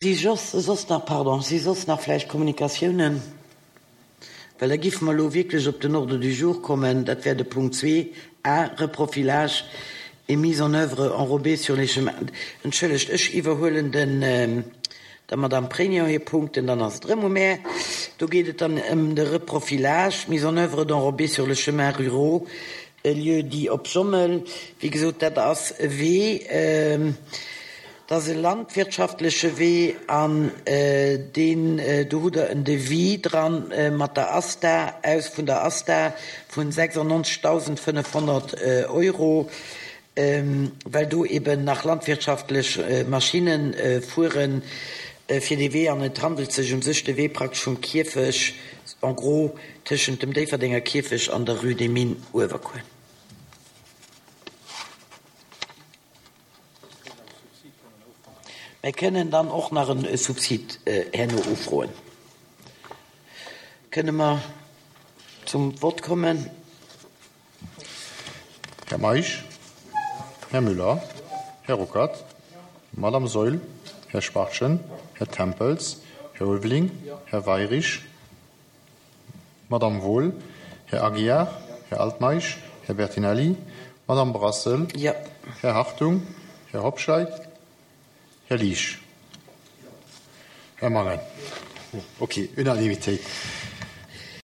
Si soss nach, pardon, si soss nach vläicht Kommunikatiounen? Well da giffe mer elo wierklech op den Ordre du jour kommen, dat wär de Punkt 2, a, Reprofilage et mise en œuvre enrobée sur les chemins. Entschëllegt, ech iwwerhuelen den, der Madame Pregno hir Punkten, dann ass et erëm u mär. Do geet et dann ëm de Reprofilage, mise en œuvre d'enrobés sur les chemins ruraux, Lieu-dit Op Jommel. Wéi gesot, dat ass e Wee, dat ass e landwirtschaftleche Wee an deen, do hutt Der en Devis dran mat der ASTA, aus vun der ASTA vun 96.500 Euro, well do eben nach landwirtschaftlech Maschinne fuere fir dee Wee an et handelt sech u sech de Wee praktesch vum Kierfech en gros tëschent dem Déifferdenger Kierfech an der Rue des Mines Uewerkuer. Mir kënnen dann och nach e Subsid herno ufroen. Kënne mer zum Vott kommen? Här Meisch, Här Müller, Här Ruckert, Madame Saeul, Här Spartchen, Här Tempels, Här Ulveling, Här Weyrich, Madame Wohl, Här Aguiar, Här Altmeisch, Här Bertinelli, Madame Brassel, Här Hartung, Här Hobscheit, Här Liesch. Här Mangen. Ok, Unanimitéit.